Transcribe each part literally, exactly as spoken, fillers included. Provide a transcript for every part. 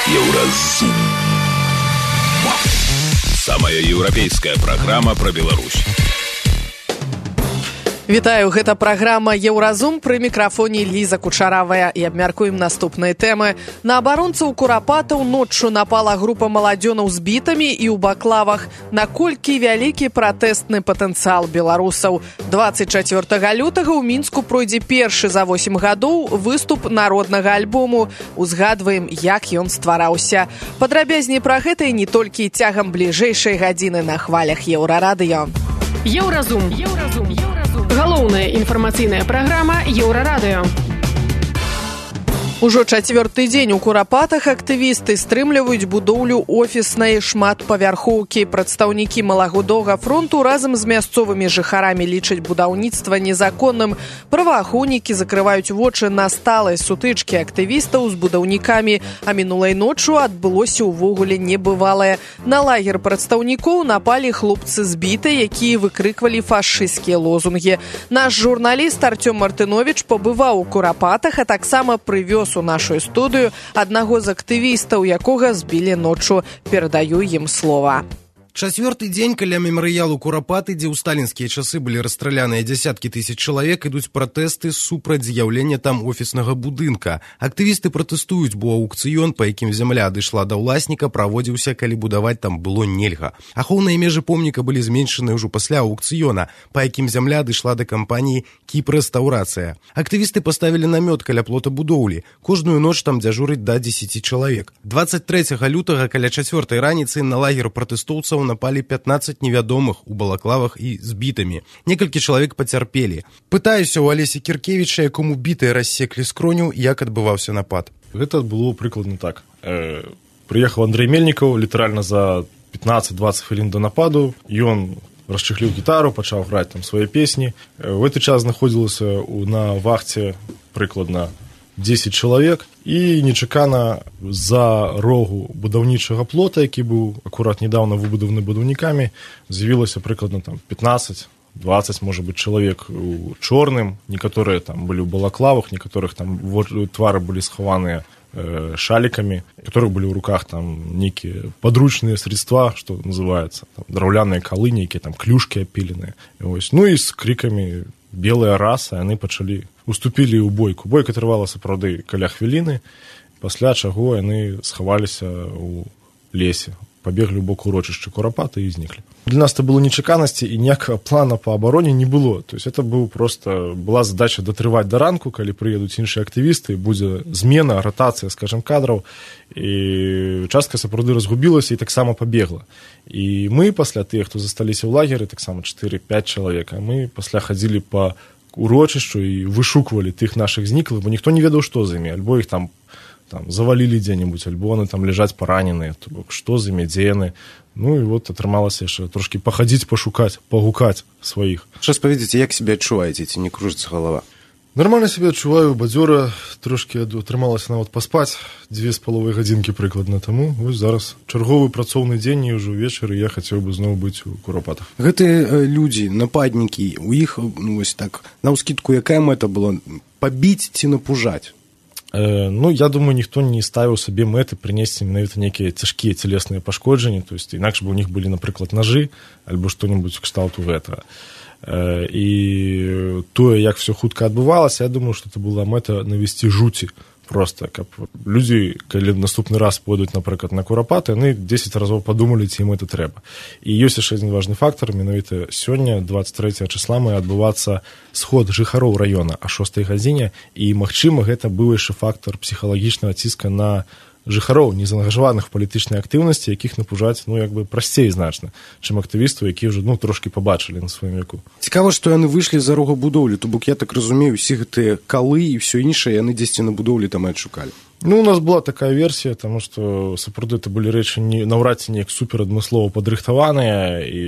Еўразум. Самая еўрапейская праграма пра Беларусь. Вітаю, гэта праграма «Еўразум», пры мікрафоне Ліза Кучаравая, і абмяркуем наступныя тэмы. На абаронцаў курапатаў ноччу напала група маладзёнаў з бітамі і ў баклавах. Наколькі вялікі пратэстны патэнцыял беларусаў? дваццаць чацвёртага лютага ў Мінску пройдзе першы за восем гадоў выступ народнага альбому. Узгадваем, як ён ствараўся. Падрабязней пра гэта і не толькі цягам бліжэйшай гадзіны на хвалях Еўрарадыё. Еўразум. Еўразум. Галоўная інфармацыйная праграма Еўрарадыё. Ужо чацвёрты дзень у Курапатах актывісты стрымліваюць будоўлю офіснай шматпавярхоўкі. Прадстаўнікі малагодовага фронту разам з мясцовымі жыхарамі лічаць будаўніцтва незаконным. Праваахоўнікі закрываюць вочы на сталай сутычкі актывістаў з будаўнікамі, а мінулай ноччу адбылося ўвогуле небывалае. На лагер прадстаўнікоў напалі хлопцы з бітай, якія выкрыквалі фашысцкія лозунгі. Наш журналіст Артём Мартынович пабываў у Курапатах, а таксама прывёз у нашу студыю аднаго з актывістаў, якога збілі ноччу. Перадаю ім слова. Чацвёрты дзень каля мемарыялу Курапаты, дзе ў сталінскія часы былі расстраляныя дзясяткі тысяч чалавек, ідуць пратэсты супраць з'яўлення там офіснага будынка. Актывісты пратэстуюць, бо аўкцыён, па якім зямля адышла да ўласніка, праводзіўся, калі будаваць там было нельга. Ахоўныя межы помніка былі зменшаны ўжо пасля аўкцыёна, па якім зямля адышла да кампаніі «Кіпрэстаўрацыя». Актывісты паставілі намёт каля плота будоўлі. Кожную ноч там дзяжурыць да дзесяці чалавек. дваццаць трэцяга лютага каля чацвёртай раніцы на лагер пратэстоўцаў напалі пятнаццаць невядомых у балаклавах і з бітамі. Некалькі чалавек пацярпелі. Пытаюся ў Алесі Кіркевіча, якому бітыя рассеклі скроню, як адбываўся напад. Гэта было прыкладна так. Э, прыехаў Андрэй Мельнікаў літаральна за пятнаццаць-дваццаць хвілін до нападу. Ён расчыхліў гітару, пачаў граць там свае песні. В гэты час знаходзілася на вахце прыкладна дзесяць чалавек, і нечакана за рогу будаўнічага плота, які быў акурат недавно выбудаваны будаўнікамі, з'явілася прыкладна там пятнаццаць-дваццаць, можа быць, чалавек у чорным, некаторыя там былі ў балаклавах, некаторых там твары былі схаваныя э, шалікамі, некаторых былі ў руках там нейкія падручныя средства, што называецца, там, драўляныя калы, нейкія там клюшкі апіленыя. Ось. Ну і з крикамі белая раса, яны пачалі уступілі ў бойку. Бойка трывала сапраўды каля хвіліны, пасля чаго яны схаваліся ў лесе, пабеглі ў бок урочышча Курапаты і зніклі. Для нас это было нечаканасці, і ніякага плана па абароне не было. То есть это быў просто была задача датрываць да ранку, калі прыедуць іншыя актывісты, будзе змена, ратацыя, скажем, кадраў, і частка сапраўды разгубілася і таксама пабегла. І мы пасля тых, хто засталіся ў лагеры, таксама чатыры-пяць чалавек, а мы пасля хадзілі па урочышчу і вышуквалі тых нашых зніклых, бо ніхто не ведаў, што з імі, альбо іх там там завалілі дзе-небудзь, альбо яны там ляжаць параненыя, то бок што з імі, дзе яны. Ну і вот атрымалася яшчэ трошкі пахадзіць, пашукаць, пагукаць сваіх. Час паведзіце, як сябе адчуваеце, ці не кружыцца галава? Нармальна сябе адчуваю, бадзёра, трошкі атрымалася нават паспаць дзве з паловай гадзінкі прыкладна таму. Вось зараз чарговы працоўны дзень, і ўжо ўвечары я хацеў бы зноў быць у Курапатах. Гэтыя людзі, нападнікі, у іх, ну, вось так, наўскідку, якая мэта была? Пабіць ці напужаць? Э, ну, я думаю, ніхто не ставіў сабе мэты прынесці менавіта нейкія цяжкія цялесныя пашкоджанні, то есть інакш бы у них былі, напрыклад, нажы альбо што-небудзь кшталту гэтага. Э, і тое, як все хутка адбывалася, я думаю, што это была мэта навесці жуці просто, каб людзі, калі наступны раз пойдуць, напрыклад, на Курапаты, яны дзесяць разоў падумалі, ці ім это трэба. І ёсць яшчэ адзін важны фактар, менавіта сёння, дваццаць трэцяга чысла, мае адбывацца сход жыхароў раёна а шостай гадзіне, і, магчыма, гэта быў яшчэ фактар псіхалагічнага ціска на жыхароў, незаангажаваных палітычнай актыўнасці, якіх напужаць, ну, як бы прасцей значна, чым актывістаў, якія ўжо, ну, трошкі пабачылі на сваім веку. Цікава, што яны выйшлі за рога будоўлі, то бок, я так разумею, усе гэтыя калы і ўсё іншае яны дзесьці на будоўлі там і адшукалі. Ну, у нас была такая версія, таму што сапраўды это былі рэчы не, наўрад ці неяк супер адмыслова падрыхтаваныя, і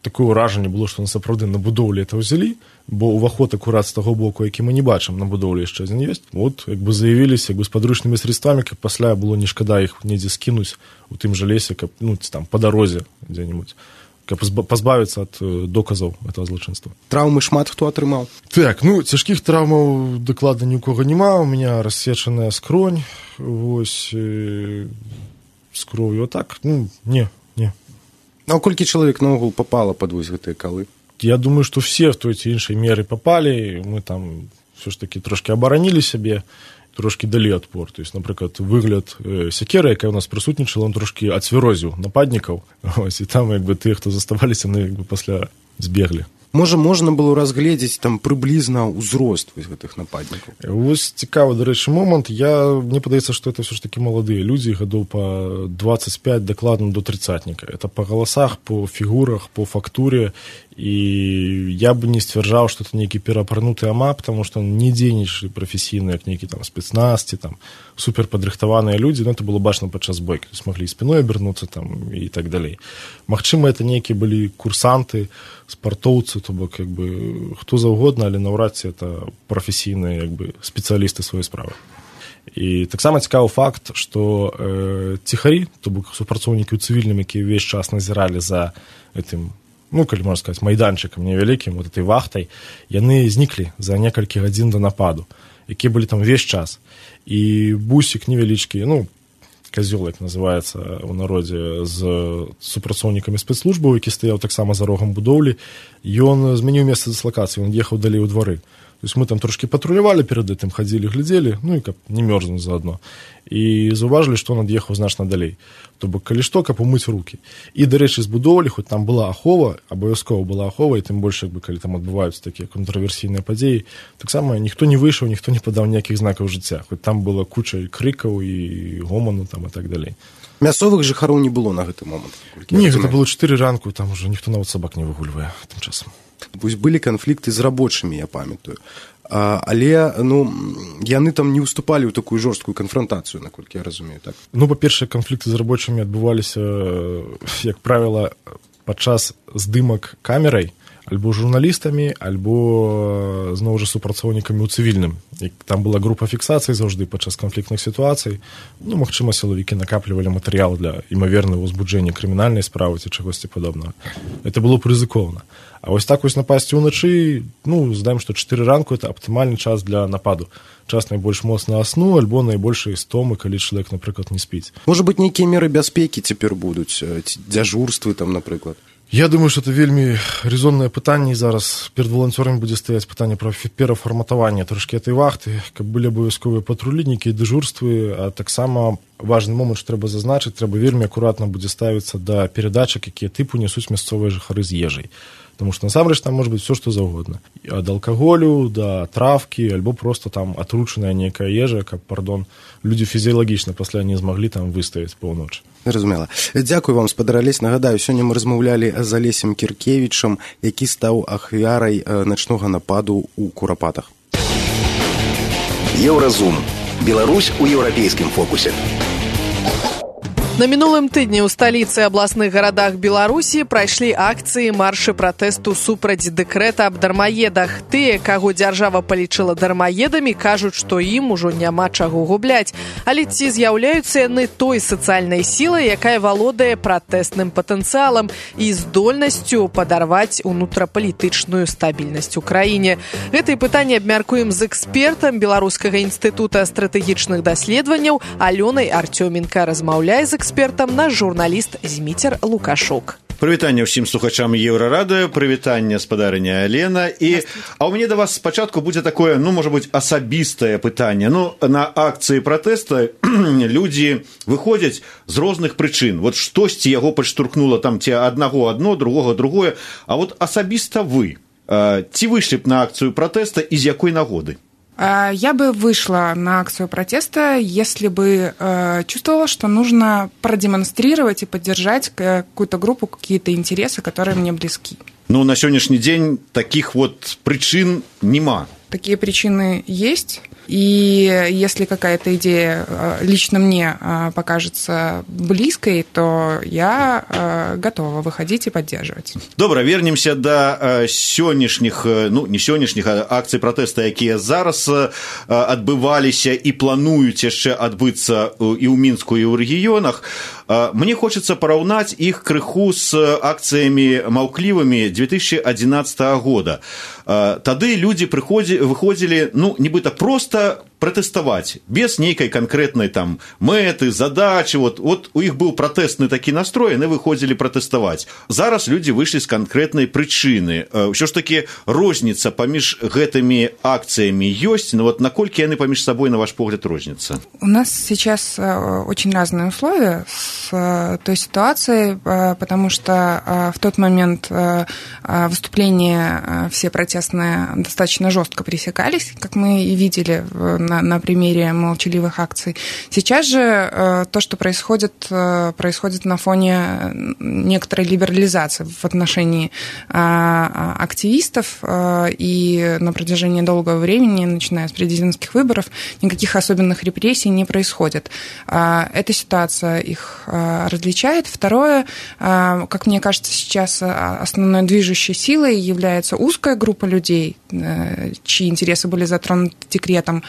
такое ўражанне было, што на сапраўды на будоўлі это ўзялі, бо ўваход акурат з таго боку, які мы не бачым, на будоўлі яшчэ адзін ёсць. Вот, як бы заявіліся, як бы з падручнымі средствамі, каб пасля было не шкада іх недзе скінуць у тым жа лесе, каб, ну, там, па дарозе дзе-небудзь. каб пазбавіцца ад доказаў этого злачынства. Траўмы шмат хто атрымаў? Так, ну цяжкіх траўмаў дакладна ні ў кого няма, у меня рассечаная скронь, вось э, з кроўю, а так, ну не, не. А колькі чалавек наогул попала пад вось гэтыя калы? Я думаю, што все в той ці іншай меры попалі, мы там все ж таки трошки абаранілі сябе, трошки далі адпор. То есть, напрыклад, выгляд э, сякеры, якая у нас прысутнічала, он трошки ацвярозіў нападнікаў, ось, і там як бы тыя, хто заставаліся, ну, як бы пасля збеглі. Можа, можна было разгледзець там прыблізна ўзрост вось гэтых нападнікаў? Вось цікавы, дарэчы, момант. Я, мне падаецца, што это все ж таки маладыя людзі, гадоў па двадцать пять дакладна до тридцатніка. Это па галасах, по фігурах, по фактуре. І я бы не сцвярджаў, што это нейкі перапрануты амап, потому што не дзейнічалі прафесійныя, як нейкі там спецназ, ці там суперпадрыхтаваныя людзі, но это было бачна падчас бойкі, смаглі спіной абернуцца там і так далей. Магчыма, это нейкія былі курсанты, спартоўцы, то бок як бы хто заўгодна, але наўрад ці это прафесійныя як бы спецыялісты сваёй справы. І таксама цікавы факт, што э, ціхары, то бок супрацоўнікі ў цывільным, якія ўвесь час назіралі за гэтым, ну, калі можна сказаць, майданчыкам невялікім, вот этой вахтай, яны зніклі за некалькі гадзін да нападу, якія былі там увесь час. І бусік невялічкі, ну, казёл, як называецца ў народзе, з супрацоўнікамі спецслужбаў, які стаяў таксама за рогам будоўлі, ён змяніў месца дыслакацыі, ён ехаў далей у двары. То есть мы там трошки патрулявалі перад гэтым, хадзілі, глядзелі, ну і каб не мёрзнуць заадно. І заўважылі, што он ад'ехаў значна далей. То бок, калі што, каб умыць рукі. І, дарэчы, з будовалі, хоць там была ахова, абавязкова была ахова, і тым больш, як бы, калі там адбываюцца такія контраверсійныя падзеі, таксама ніхто не выйшаў, ніхто не падаў ніякіх знакаў жыцця. Хоць там была куча і крыкаў, і гоману, там, і так далей. Мясцовых жыхароў не было на гэты момант? Не, гэта было чатыры ранку, там ужо ніхто нават сабак не выгульвае тым часам. Вось былі канфлікты з рабочымі, я памятаю. А, але, ну, яны там не ўступалі ў такую жорсткую канфрантацыю, наколькі я разумею, так? Ну, па-першае, канфлікты з рабочымі адбываліся, як правіла, падчас здымак камерай, альбо журналістамі, альбо, зноў жа, супрацоўнікамі ў цывільным. І там была група фіксацый заўжды падчас канфліктных сітуацый. Ну, магчыма, сілавікі накаплівалі матэрыял для імавернага ўзбуджэння крымінальнай справы ці чагосьці падобнага. Это было б рызыкоўна. А вось так вось напасці ўначы, ну, здаем, што чатыры ранку это аптымальны час для нападу. Час найбольш моцнага сну, альбо найбольшай стомы, калі чалавек, напрыклад, не спіць. Можа быць, нейкія меры бяспекі цяпер будуць, дзяжурствы там, напрыклад? Я думаю, што это вельмі резоннае пытанне, і зараз перад валанцёрамі будзе стаяць пытанне пра перафарматаванне трошкі этой вахты, каб былі абавязковыя патрулі, нейкія дэжурствы, а таксама важны момант, што трэба зазначыць, трэба вельмі акуратна будзе ставіцца да перадачак, якія тыпу нясуць мясцовыя жыхары з ежай. Потому что, насамрэч, там может быть все, что заўгодна. Ад алкаголю да травкі, альбо просто там атручаная нейкая ежа, каб, пардон, людзі фізіялагічна пасля не змаглі там выстаяць паўночы. Разумела. Дзякую вам, спадар Алесь. Нагадаю, сёння мы размаўлялі з Алесем Кіркевічам, які стаў ахвярай начнога нападу ў Курапатах. Еўразум. Беларусь у еўрапейскім фокусе. На мінулым тыдні ў сталіцы і абласных гарадах Беларусі прайшлі акцыі маршы пратэсту супраць дэкрэта аб дармаедах. Тыя, каго дзяржава палічыла дармаедамі, кажуць, што ім ужо няма чаго губляць. Але ці з'яўляюцца яны той сацыяльнай сілай, якая валодае пратэсным патэнцыялам і здольнасцю падарваць унутрапалітычную стабільнасць у краіне? Гэтыя пытанні абмяркуем з экспертам Беларускага інстытута стратэгічных даследаванняў Алёнай Артёменка. Размаўляе з экспертам наш журналіст Зміцер Лукашук. Прывітанне ўсім слухачам Еўрарадыё, прывітанне спадарыня Алена. І, а ў мяне да вас спачатку будзе такое, ну, можа быць, асабістае пытанне. Ну, на акцыі пратэста людзі выходзяць з розных прычын. Вот штосьці яго падштурхнула там ці аднаго адно, другога другое. А вот асабіста вы, ці выйшлі б на акцыю пратэста і з якой нагоды? Я бы вышла на акцию протеста, если бы э, чувствовала, что нужно продемонстрировать и поддержать какую-то группу, какие-то интересы, которые мне близки. Ну, на сённяшні дзень такіх вот прычын нема? Такие причины есть. И если какая-то идея лично мне покажется близкой, то я готова выходить и поддерживать. Добра, вернемся да сённяшніх, ну не сённяшніх, а акцый пратэста, якія зараз адбываліся і плануюць яшчэ адбыцца і ў Мінску, і ў рэгіёнах. Мне хочется параўнаць іх крыху з акцыямі маўклівымі две тысячи одиннадцатого года. Тады людзі выходзілі, ну, нібыта проста пратэставаць, без нейкай канкрэтнай там мэты, задачы. Вот, вот у іх быў пратэстны такі настрой, яны выходзілі пратэставаць. Зараз людзі выйшлі з канкрэтнай прычыны. Ўсё ж такі розніца паміж гэтымі акцыямі ёсць, но вот наколькі яны паміж сабой, на ваш погляд, розніцца? У нас сейчас очень разные условия с той ситуацией, потому что в тот момент выступления все протестные достаточно жестко пресекались, как мы и видели на, на примере молчаливых акций. Сейчас же то, что происходит, происходит на фоне некоторой либерализации в отношении активистов, и на протяжении долгого времени, начиная с президентских выборов, никаких особенных репрессий не происходит. Эта ситуация их различает. Второе, как мне кажется, сейчас основной движущей силой является узкая группа людей, чьи интересы были затронуты декретом,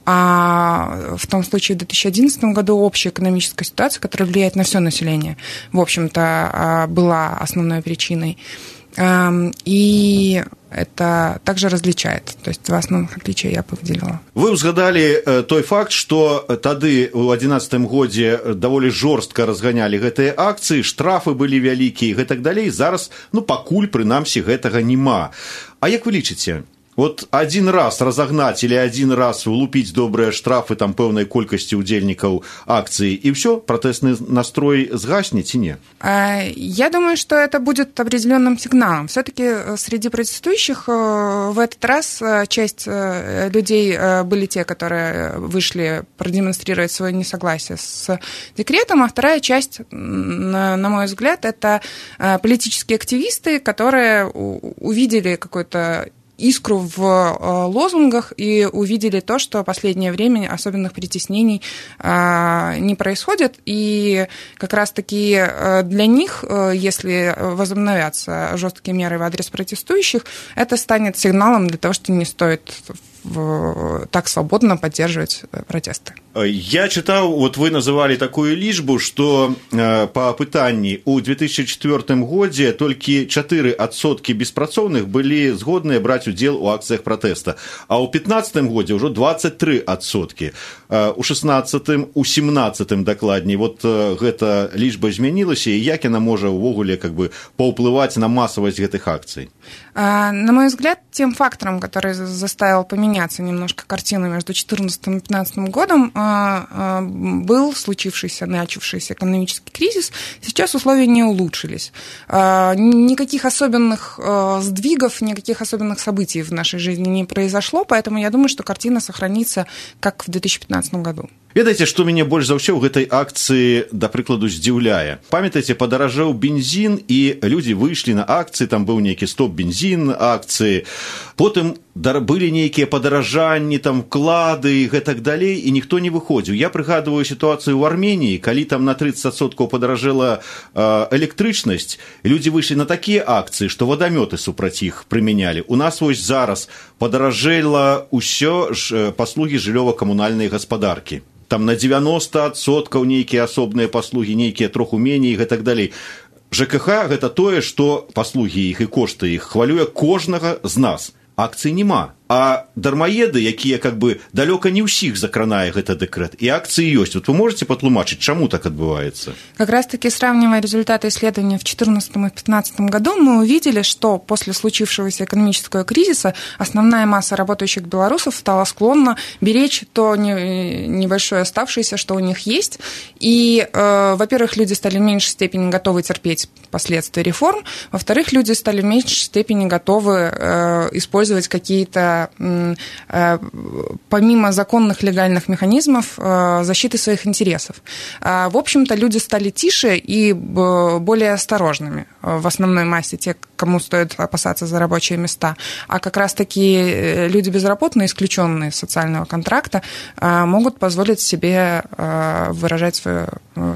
а в том случае в две тысячи одиннадцатом году общая экономическая ситуация, которая влияет на все население, в общем-то, была основной причиной. И это также различает. То есть два основных отличия я бы выделила. Вы узгадали той факт, что тады у одиннадцатым годзе даволі жорстка разганялі гэтыя акцыі, штрафы былі вялікія і гэтак далей. Зараз, ну, пакуль, прынамсі, гэтага няма. А як вы лічыце? Вот один раз разогнать или один раз влупить добрые штрафы там пэўнай колькасці удзельнікаў акцыі, и все, протестный настрой сгаснет и не? Я думаю, что это будет определенным сигналом. Все-таки среди протестующих в этот раз часть людей были те, которые вышли продемонстрировать свое несогласие с декретом, а вторая часть, на мой взгляд, это политические активисты, которые увидели какой-то искру в лозунгах и увидели то, что в последнее время особенных притеснений не происходит. И как раз-таки для них, если возобновятся жесткие меры в адрес протестующих, это станет сигналом для того, что не стоит так свободно поддерживать протесты. Я читал, вот вы называли такую лічбу, что по пытанні у две тысячи четвёртым годзе толькі чатыры адсоткі беспрацоўных былі згодныя браць удзел у акцыях пратэста, а ў пятнадцатым годзе ўжо двадцать три адсоткі. У шестнадцатым, у семнадцатым дакладней, вот гэта лічба змянілася, і як яна можа ўвогуле как бы паўплываць на масавасць гэтых акцый? На мой взгляд, тем фактором, который заставил поменяться немножко картину между две тысячи четырнадцатым и две тысячи пятнадцатым годом, был случившийся, начавшийся экономический кризис. Сейчас условия не улучшились. Никаких особенных сдвигов, никаких особенных событий в нашей жизни не произошло, поэтому я думаю, что картина сохранится, как в две тысячи пятнадцатым году. Ведаеце, што мяне больш за ўсё ў гэтай акцыі, да прыкладу, здзіўляе. Памятаеце, падаражэў бензін, і людзі выйшлі на акцыі, там быў нейкі стоп-бензін акцыі, потым былі нейкія падаражанні, там вклады і гэтак далей, і ніхто не выходзіў. Я прыгадываю сітуацыю ў Арменіі, калі там на тридцать адсоткаў падаражэла электрычнасць, людзі выйшлі на такія акцыі, што вадамёты супраць іх прымянялі. У нас вось зараз падаражэла ўсё ж паслугі жыллёва-камунальнай гаспадаркі. Там на девяносто адсоткаў нейкія асобныя паслугі, нейкія троху меней і гэтак далей. ЖКХ гэта тое, што паслугі іх і кошты іх хвалюе кожнага з нас. Акцый нема. А дармаеды, якія как бы далёка не ўсіх закранае гэта дэкрэт, і акцыі ёсць. Вот вы можете патлумачыць, чаму так адбываецца? Как раз-таки, сравнивая результаты исследования в две тысячи четырнадцатом и две тысячи пятнадцатом году, мы увидели, что после случившегося экономического кризиса основная масса работающих белорусов стала склонна беречь то небольшое оставшееся, что у них есть. И, э, во-первых, люди стали в меньшей степени готовы терпеть последствия реформ, во-вторых, люди стали в меньшей степени готовы э, использовать какие-то добиваться помимо законных легальных механизмов защиты своих интересов. В общем-то, люди стали тише и более осторожными в основной массе, те, кому стоит опасаться за рабочие места. А как раз-таки люди безработные, исключенные из социального контракта, могут позволить себе выражать свой,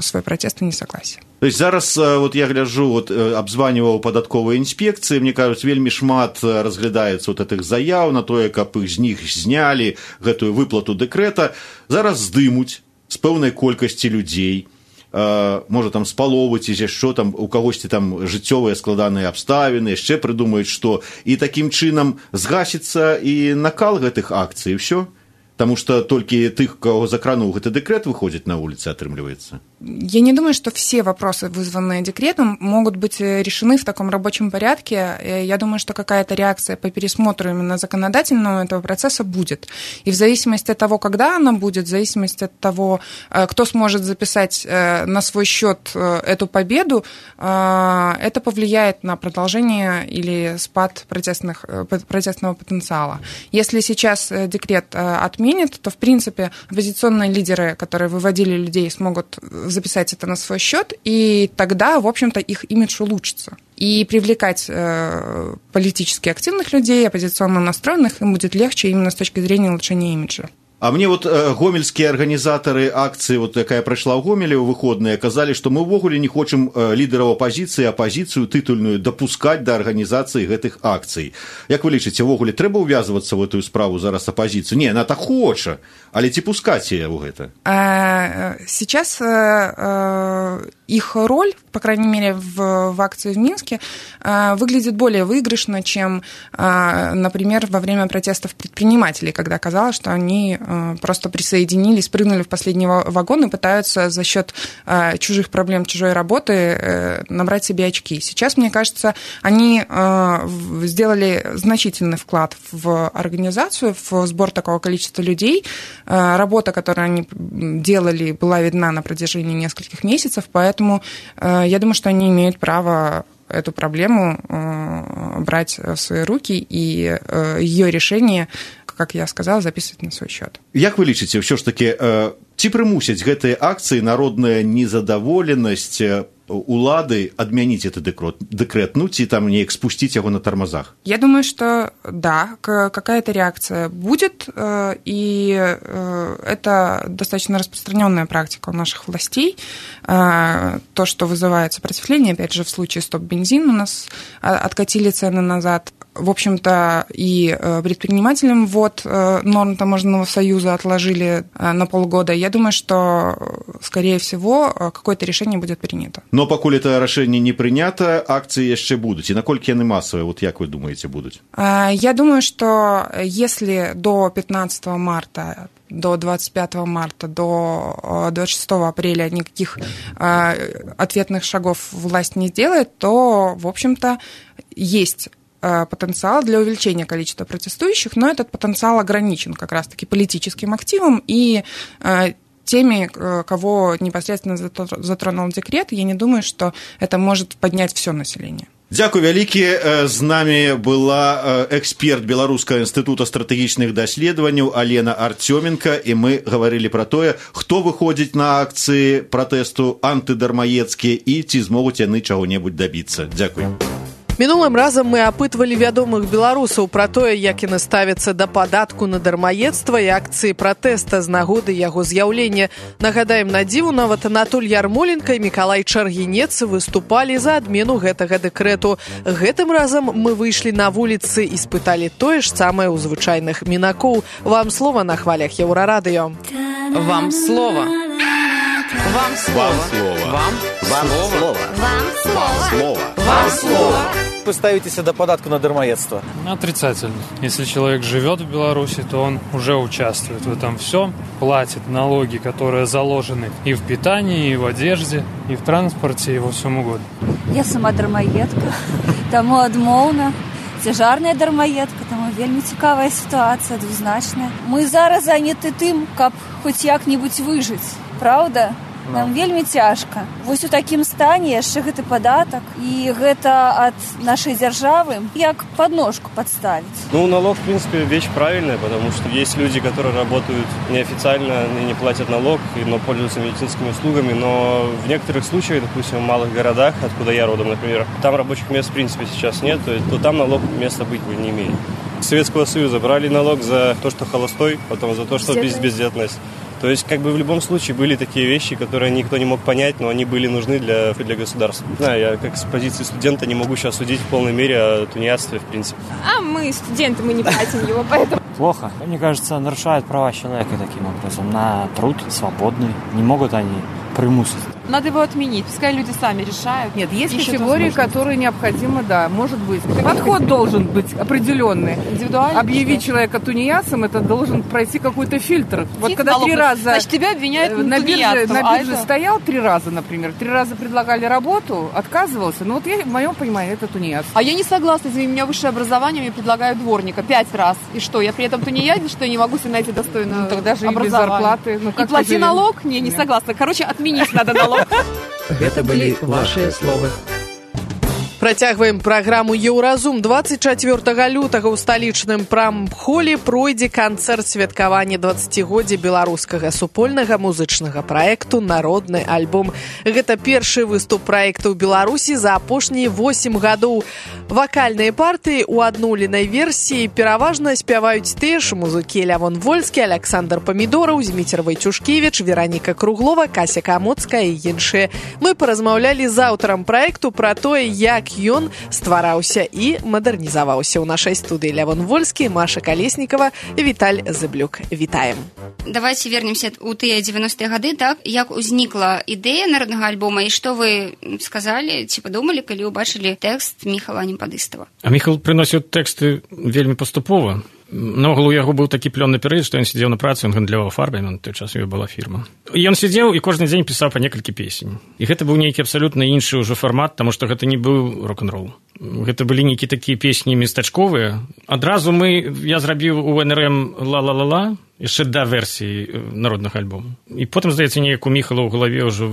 свой протест и несогласие. То есть зараз вот я гляжу, вот обзваниваў падатковыя інспекцыі, мне кажуць, вельмі шмат разглядаецца вот этих заяў на тое, каб іх з них знялі гэтую выплату дэкрэта. Зараз здымуць з пэўнай колькасці людзей, можа там з паловы ці яшчэ там у кагосьці там жыццёвыя складаныя абставіны, яшчэ прыдумаюць, што і такім чынам згасіцца і накал гэтых акцый, і ўсё. Потому что только тых, кого закранул этот декрет, выходит на улицы, отрымливается. Я не думаю, что все вопросы, вызванные декретом, могут быть решены в таком рабочем порядке. Я думаю, что какая-то реакция по пересмотру именно законодательного этого процесса будет. И в зависимости от того, когда она будет, в зависимости от того, кто сможет записать на свой счет эту победу, это повлияет на продолжение или спад протестных, протестного потенциала. Если сейчас декрет отменят, то, в принципе, оппозиционные лидеры, которые выводили людей, смогут записать это на свой счет, и тогда, в общем-то, их имидж улучшится. И привлекать э, политически активных людей, оппозиционно настроенных, им будет легче именно с точки зрения улучшения имиджа. А мне вот э, гомельские организаторы акции, вот якая пройшла в Гомеле у выходные, казали, что мы ввогуле не хочам э, лидеров оппозиции, оппозицию титульную допускать до организации гэтых акций. Як вы лічыце, ввогуле трэба увязываться в эту справу зараз оппозицию? Не, она так хоча, але ці пускать ее в это? Сейчас их роль, по крайней мере, в, в акции в Минске, выглядит более выигрышно, чем, например, во время протестов предпринимателей, когда казалось, что они просто присоединились, прыгнули в последний вагон и пытаются за счет чужих проблем, чужой работы набрать себе очки. Сейчас, мне кажется, они сделали значительный вклад в организацию, в сбор такого количества людей. Работа, которую они делали, была видна на протяжении нескольких месяцев, поэтому я думаю, что они имеют право эту проблему брать в свои руки и ее решение, как я сказала, записывать на свой счет. Як вы лічыце, ўсё ж таки, ці прымусяць гэтыя акцыі народная незадаволенасць улады адмяніць этот декрет, декрет, ну, ці там неяк спусціць яго на тормозах? Я думаю, что да, какая-то реакция будет, и это достаточно распространенная практика у наших властей. То, что вызывает сопротивление, опять же, в случае «Стоп-бензин» у нас откатили цены назад. В общем-то, и предпринимателям ввод норм таможенного союза отложили на полгода. Я думаю, что, скорее всего, какое-то решение будет принято. Но пакуль это рашэнне не прынята, акцыі яшчэ будуць. І наколькі яны масавыя, вот як вы думаете, будуць? Я думаю, что если до пятнадцатого марта, до двадцать пятого марта, до двадцать шестого апреля никаких ответных шагов власть не сделает, то, в общем-то, есть потенциал для увеличения количества протестующих, но этот потенциал ограничен как раз-таки политическим активом и теми, кого непосредственно затронул декрет. Я не думаю, что это может поднять все население. Дзякуй вялікі. З намі была эксперт Беларускага інстытута стратэгічных даследаванняў Алена Артёменко, і мы гаварылі пра тое, хто выходзіць на акцыі пратэсту антыдармаедскія і ці змогуць яны чаго-небудзь дабіцца. Дзякуй. Мінулым разам мы апытвалі вядомых беларусаў пра тое, як яны ставяцца да падатку на дармаедства і акцыі пратэста з нагоды яго з'яўлення. Нагадаем, на дзіву нават Анатоль Ярмоленко і Мікалай Чаргінец выступалі за адмену гэтага дэкрэту. Гэтым разам мы выйшлі на вуліцы і спыталі тое ж самае ў звычайных мінакоў. Вам слова на хвалях Еўрарадыё. Вам слова. Вам слово. Вам слово. Вам слово. Вам слово. Вы ставитесь до податку на дармоедство? Отрицательно. Если человек живет в Беларуси, то он уже участвует в этом всем, платит налоги, которые заложены и в питании, и в одежде, и в транспорте, и во всем угодно. Я сама дармаедка, тому адмоўна. Цяжарная дармаедка, таму вельмі цікавая сітуацыя, двузначная. Мы зараз заняты тым, каб хоць як-небудзь выжыць, правда? Нам вельмі цяжка. Вось у такім стане яшчэ гэты падатак, і гэта ад нашай дзяржавы як подножку подставить. Ну, налог, в принципе, вещь правильная, потому что есть люди, которые работают неофициально и не платят налог, но пользуются медицинскими услугами, но в некоторых случаях, допустим, в малых городах, откуда я родом, например, там рабочих мест, в принципе, сейчас нет, то, то там налог места быть не имеет. С Советского Союза брали налог за то, что холостой, потом за то, что без, бездетность. То есть, как бы в любом случае были такие вещи, которые никто не мог понять, но они были нужны для, для государства. Не знаю, я как с позиции студента не могу сейчас судить в полной мере о тунеядстве, в принципе. А мы студенты, мы не платим его, поэтому... Плохо. Мне кажется, нарушают права человека таким образом на труд свободный. Не могут они примусить. Надо его отменить, пускай люди сами решают. Нет, есть категории, которые необходимо, да, может быть. Подход должен быть определенный. Индивидуальный. Объявить человека тунеядцем, это должен пройти какой-то фильтр. Вот когда три раза... Значит, тебя обвиняют на бирже, на а бирже это... стоял три раза, например, три раза предлагали работу, отказывался. Ну вот я, в моем понимании, это тунеядство. А я не согласна, извини, у меня высшее образование, мне предлагают дворника пять раз. И что, я при этом тунеядец, что я не могу себе найти достойное ну, тогда же образование? И без зарплаты. Ну, и плати налог? Не, не Нет. согласна. Короче, отменить надо налог. Гэта былі вашыя словы. Працягваем праграму «Еўразум». дваццаць чацвёртага лютага ў сталічным прамхоле пройдзе канцэрт святкавання дваццацігоддзя беларускага супольнага музычнага праекту «Народны альбом». Гэта першы выступ праекта ў Беларусі за апошнія восем гадоў. Вакальныя партыі ў адноўленай версіі пераважна спяваюць тыя ж музыкі Лявон Вольскі, Аляксандр Памідораў, Зміцер Вайчушкевіч, Вераніка Круглова, Кася Камоцкая і іншыя. Мы паразмаўлялі з аўтарам праекту пра тое, як ён ствараўся і мадэрнізаваўся. У нашай студыі Лявон Вольскі, Маша Калеснікава, Віталь Зыблюк. Вітаем. Давайте вернемся у тыя девяностыя гады, так? Як узнікла ідэя народнага альбома і што вы сказалі, ці падумалі, калі ўбачылі тэкст Міхала Немпадыстава? А Міхал прыносіў тэксты вельмі паступова. Наогул у яго быў такі плённы перыяд, што ён сидзеў на працы, ён гандляваў фарбамі, на той час у яго была фірма. І ён сидзеў і кожны дзень пісаў па некалькі песень. І гэта быў нейкі абсалютна іншы ўжо фармат, таму што гэта не быў рок-н-рол. Гэта былі нейкі такія песні местачковыя. Адразу мы, я зрабіў у эн эр эм «Ла-ла-ла-ла», яшчэ да версіі народнага альбому. І потым, здаецца, неяк у Міхала ў галаве ўжо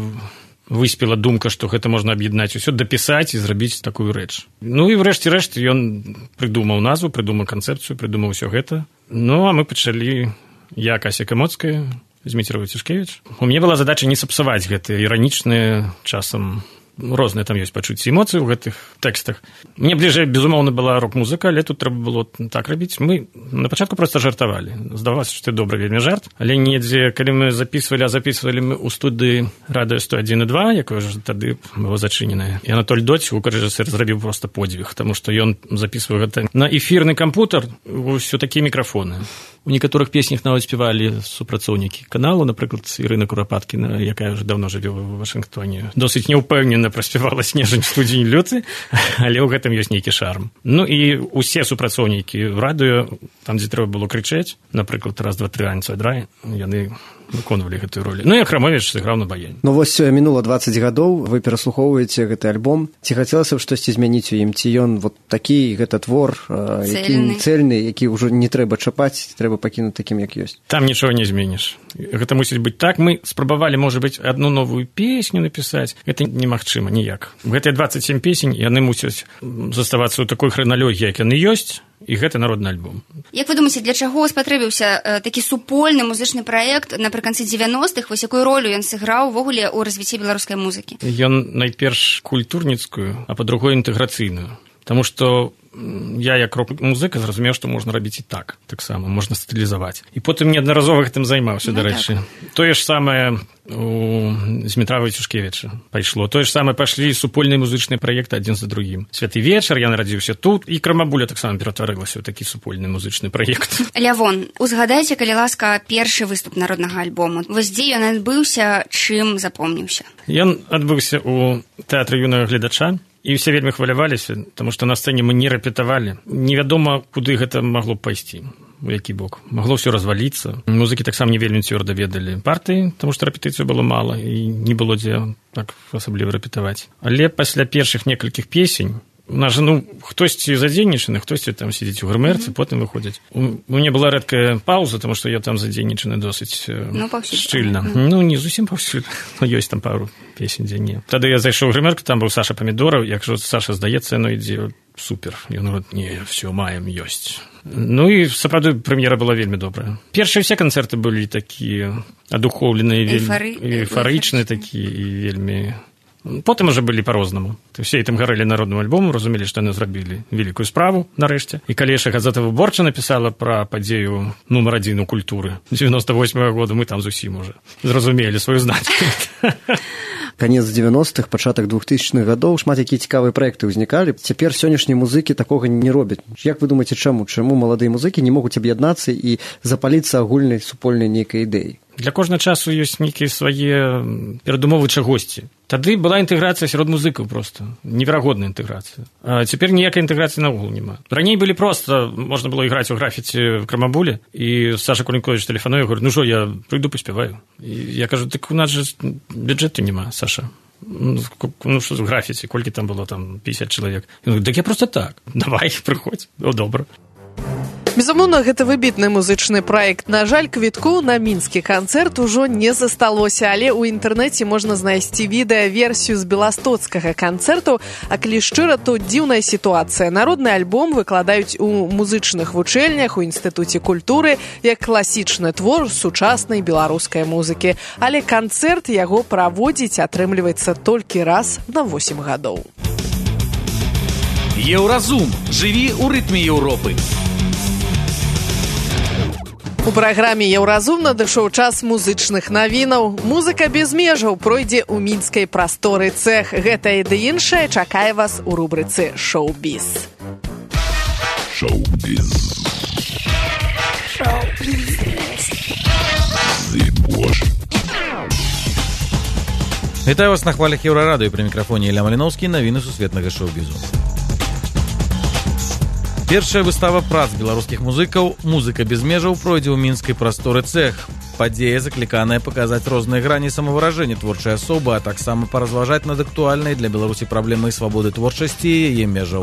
выспела думка, што гэта можна аб'яднаць усё, дапісаць і зрабіць такую рэч. Ну і врэшце рэшт ён прыдумаў назву, прыдумаў канцэпцыю, прыдумаў усё гэта. Ну а мы пачалі, я, Кася Камоцкая, Зміцер Вайчушкевіч. У мяне была задача не сапсаваць гэтыя іранічныя, часам розныя там ёсць пачуцці эмоцыі ў гэтых тэкстах. Мне бліжэй, безумоўна, была рок-музыка, але тут трэба было так рабіць. Мы на пачатку проста жартавалі. Здавалася, што это добры вельмі жарт, але недзе, калі мы записывалі, а записывалі мы ў студыі радыё сто адзін і два, якое ж тады было зачыненае. І Анатоль Доць, гукарэжысэр, зрабіў проста подзвіг, таму што ён записываў гэта на эфірны кампутер, ўсё такія мікрафоны. У некаторых песнях нават спявалі супрацоўнікі каналу, напрыклад, Ірына Курапаткіна, якая ўжо даўно жыве ў Вашынгтоне. Досыць неўпэўнена праспявала «Снежань студзень люты», але ў гэтым ёсць нейкі шарм. Ну і ўсе супрацоўнікі радыё, там, дзе трэба было крычаць, напрыклад, раз, два, тры, аньцой, драй, яны выконвалі гэтую ролю. Ну і Ахрамовіч сыграў на баяне. Ну вось мінула дваццаць гадоў, вы пераслухоўваеце гэты альбом. Ці хацелася б штосьці змяніць у ім? Ці ён вот такі, гэта твор, які цэльны, які ўжо не трэба чапаць, трэба пакінуць такім, як ёсць? Там нічога не зменіш. Гэта мусіць быць так. Мы спрабавалі, можа быць, адну новую песню напісаць. Гэта немагчыма ніяк. Гэтыя дваццаць сем песень, яны мусяць заставацца ў такой храналогіі, як яны ёсць, і гэта народны альбом. Як вы думаеце, для чаго спатрэбіўся э, такі супольны музычны праект напрыканцы дзевяностых? Вось якую ролю ён сыграў увогуле ў развіцці беларускай музыкі? Ён найперш культурніцкую, а па-другой інтэграцыйную. Таму што я, як рок-музыка, зразумеў, што можна рабіць і так, таксама, можна стылізаваць. І потым неаднаразова гэтым займаўся, ну, дарэчы. Так. Тое ж самае у Змітра Вайчушкевіча пайшло. Тое ж самае пайшлі супольныя музычныя праекты адзін за другім. «Святы вечар», я нарадзіўся тут, і «Крамабуля» таксама ператварылася ў такі супольны музычны праект. Лявон, узгадайце, калі ласка, першы выступ народнага альбому. Вось дзе ён адбыўся, чым запомніўся? Ён адбыўся ў тэатры юнага гледача. І ўсе вельмі хваляваліся, таму што на сцэне мы не рэпетавалі. Невядома, куды гэта магло б пайсці, у які бок. Магло ўсё разваліцца. Музыкі таксама не вельмі цвёрда ведалі партыі, таму што рэпетыцыю было мала, і не было дзе так асабліва рэпетаваць. Але пасля першых некалькіх песень У нас же, ну, хтосьці задзейнічаны, хтосьці там сидзіць у грымерцы, mm-hmm. потым выходзіць. У мяне была рэдкая пауза, тому што я там задзейнічаны досыць ну, шчыльна. Mm-hmm. Ну, не зусім паўсюль, но ёсць там пару песень, дзе не. Тады я зайшоў у грымерку, там быў Саша Памідораў, якщо Саша здаецца, яно ідзе супер. Ён говорит, не, все, маем, ёсць. Ну і, сапраўды, прэм'ера была вельмі добрая. Першыя все канцэрты былі такія адухоўленыя, вельмі эйфарычныя такія і вельмі... Потым уже былі па-рознаму. Все ітым гарэлі народным альбомам, разумелі, што яны зрабілі вялікую справу нарэшце. І калі яшчэ газета «Выборча» напісала пра падзею нумар адзін у культуры девяносто восьмого года, мы там зусім уже зразумелі сваю значнасць. Канец девяностых, пачатак двухтысячных гадоў, шмат якія цікавыя праекты ўзнікалі. Цяпер сённяшнія музыкі такога не робяць. Як вы думаеце, чаму? Чаму маладыя музыкі не могуць аб'яднацца і запаліцца агульнай супольнай нейкай ідэі? Для кожнага часу ёсць нейкія свае перадумовы чагосьці. Тады была інтэграцыя сярод музыкаў проста, неверагодная інтэграцыя. А цяпер ніякай інтэграцыі наогул няма. Раней былі проста, можна было іграць у графіці в Крамабуле, і Саша Кулінкович тэлефануе, говорю, ну што, я прыйду паспяваю. І я кажу, так у нас же бюджэту няма, Саша. Ну, што з графіці, колькі там было, там, пятьдесят чалавек. Ён говорит, так я просто так, давай, прыходзь, о, добра. Безумоўна, гэта выбітны музычны праект. На жаль, квіткоў на мінскі канцэрт ужо не засталося, але ў інтэрнэце можна знайсці відэа-версію з беластоцкага канцэрту, а калі шчыра, то дзіўная сітуацыя. Народны альбом выкладаюць у музычных вучэльнях, у інстытуце культуры, як класічны твор сучаснай беларускай музыкі. Але канцэрт яго праводзіць атрымліваецца толькі раз на восемь гадоў. Еўразум. Жыві ў рытме Еўропы. У праграме «Еўразум» надышоў час музычных навінаў. Музыка без межаў пройдзе ў мінскай прасторы цэх. Гэта і ды іншае чакае вас у рубрыцы «Шоу-біз». Шоу-біз. Шоу-біз. Вітаю вас на хвалях Еўрарадыё. Пры мікрафоне Ілля Маліноўскі, навіны сусветнага шоу-бізу. Першая выстава прац беларускіх музыкаў «Музыка без межаў» пройдзе ў мінскай прасторы цэх. Падзея закліканая паказаць розныя грані самавыражэння творчай асобы, а таксама паразважаць над актуальнай для Беларусі праблемай свабоды творчасці і яе межаў.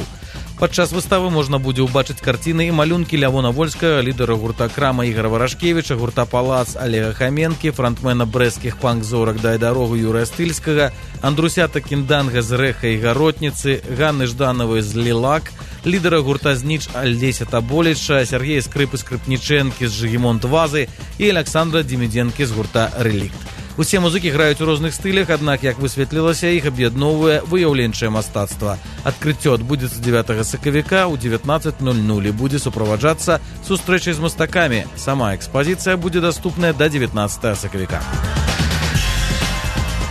Падчас выставы можна будзе ўбачыць карціны і малюнкі Лявона Вольскага, лідара гурта «Крама» Ігора Варашкевіча, гурта «Палац» Олега Хаменкі, франтмена брэсцкіх панк-зорак «Дай дарогу» Юрыя Стыльскага, Андрусята Кінданга з «Рэха» і «Гаротніцы», Ганны Ждановай з «Лілак», лідара гурта «Зніч» Альдзеся Таболіча, Сергея Скрыпы Скрыпнічэнкі з «Жыгімонт Вазы» і Александра Демідзенкі з гурта «Рэлікт». Усе музыкі граюць у розных стылях, аднак, як высветлілася, іх аб'ядноўвае выяўленчае мастацтва. Адкрыццё адбудзецца дзевятага сакавіка ў дзевятнаццаць ноль ноль і будзе суправаджацца сустрэчай з мастакамі. Сама экспазіцыя будзе даступная да дзевятнаццатага сакавіка.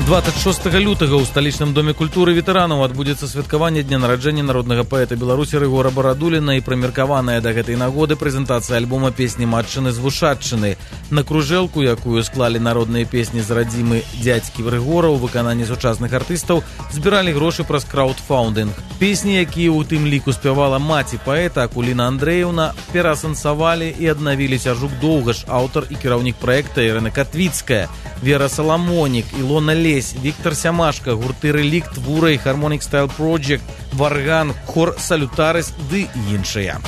двадцать шостага лютага ў сталічным доме культуры ветэранаў адбудзецца святкаванне дня нараджэння народнага паэта Беларусі Рыгора Барадуліна і прымеркаваная да гэтай нагоды прэзентацыя альбома песні матчыны з вушатчыны. На кружэлку, якую склалі народныя песні з радзімы дзядзькі Рыгора ў выкананні сучасных артыстаў, збіралі грошы праз краўдфаундынг. Песні, якія ў тым ліку спявала маці паэта Акуліна Андрэеўна, пераасэнсавалі і аднавілі Сяржук Доўгаш, аўтар і кіраўнік праекта Ірына Катвіцкая, Вера Саламонік, Ілона Лесь, Віктор Сямашка, гурты «Рэлікт», «Вура» і «Harmonic Style Project», «Варган», хор «Салютарыс» ды іншыя.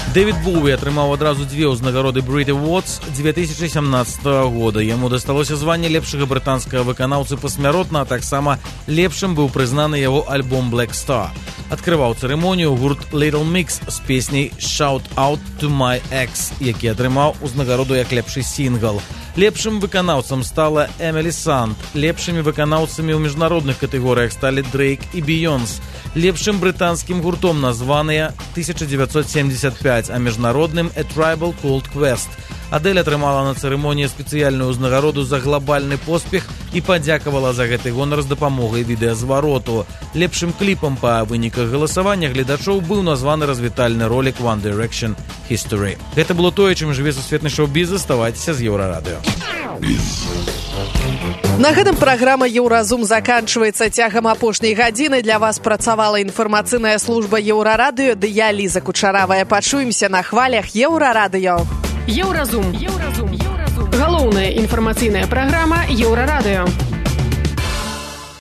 Дэвід Боуі атрымаў адразу дзве ўзнагароды Brit Awards две тысячи семнадцатого года. Яму дасталося званне лепшага брытанскага выканаўцы пасмяротна, а таксама лепшым быў прызнаны яго альбом Black Star. Адкрываў цырымонію гурт Little Mix з песняй Shout Out to My Ex, які атрымаў узнагароду як лепшы сінгл. Лепшым выканаўцам стала Эмілі Санд. Лепшымі выканаўцамі ў міжнародных катэгорыях сталі Дрейк і Бейонс. Лепшым брытанскім гуртом названыя тысяча девятьсот семьдесят пять, а міжнародным A Tribal Called Quest. Адэль атрымала на цырымоніі спецыяльную ўзнагароду за глобальны поспех і падзякавала за гэты гонар з дапамогай відэазвароту. Лепшым кліпам па выніках галасавання гледачоў быў названы развітальны ролік One Direction History. Гэта было тое, чым жыве сусветны шоу-біз. Заставайцеся з Еўрарадыё. На гэтым праграма «Еўразум» заканчваецца. Цягам апошняй гадзіны для вас працавала інфармацыйная служба Еўрарадыё, ды я, Ліза Кучаравая. Пачуемся на хвалях Еўрарадыё. Еўразум. Еўразум. Галоўная інфармацыйная праграма Еўрарадыё.